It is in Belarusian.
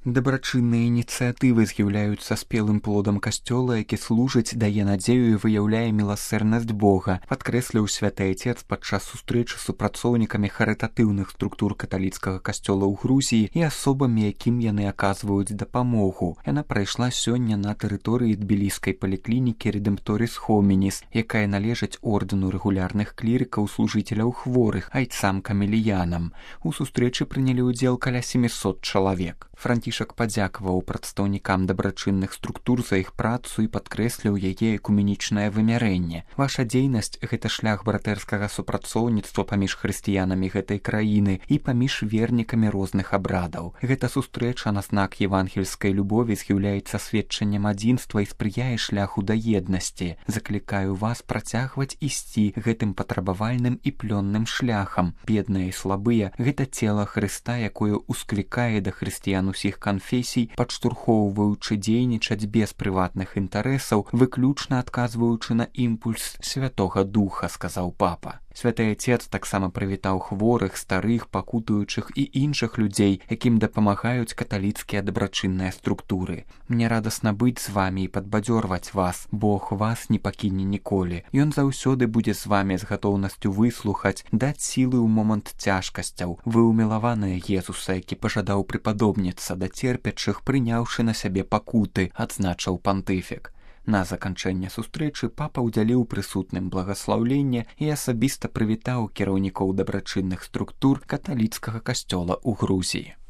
Дабрачынныя ініцыятывы з'яўляюцца спелым плодам касцёла, які служыць, дае надзею і выяўляе міласэрнасць Бога, падкрэсліў святы Отец падчас сустрэчы з супрацоўнікамі харытатыўных структур каталіцкага касцёла ў Грузіі і асобамі, якім яны аказваюць дапамогу. Яна прайшла сёння на тэрыторыі тбіліскай паліклінікі Редемпторис Хомініс, якая належыць ордэну рэгулярных клірыкаў служыцеляў хворых, айцам-камеліянам. У сустрэчы прынялі ўдзел каля 700 чалавек. Францішак падзякаваў прадстаўнікам дабрачынных структур за іх працу і падкрэсліў яе экуменічнае вымярэнне. Ваша дзейнасць – гэта шлях братэрскага супрацоўніцтва паміж хрысціянамі гэтай краіны і паміж вернікамі розных абрадаў. Гэта сустрэча на знак евангельскай любові з'яўляецца сведчаннем адзінства і спрыяе шляху да еднасці. Заклікаю вас працягваць ісці гэтым патрабавальным і плённым шляхам. Бедныя і слабыя – гэта цела Хрыста, якое усклікае да хрысціян усіх канфесій, падштурхоўваючы дзейнічаць без прыватных інтарэсаў, выключна адказваючы на імпульс Святога Духа, сказаў папа. Святы Отец таксама прывітаў хворых, старых, пакутуючых і іншых людзей, якім дапамагаюць каталіцкія дабрачынныя структуры. Мне радасна быць з вамі і падбадзёрваць вас. Бог вас не пакіне ніколі. Ён заўсёды будзе з вамі з гатоўнасцю выслухаць, даць сілы ў момант цяжкасцяў. Вы ўмілаваныя Езуса, які пажадаў прыпадобніцца да церпячых, прыняўшы на сябе пакуты, адзначыў пантыфік. На заканчэнне сустрэчы папа ўдзяліў прысутным благаслаўленне і асабіста прывітаў кіраўнікоў дабрачынных структур каталіцкага касцёла ў Грузіі.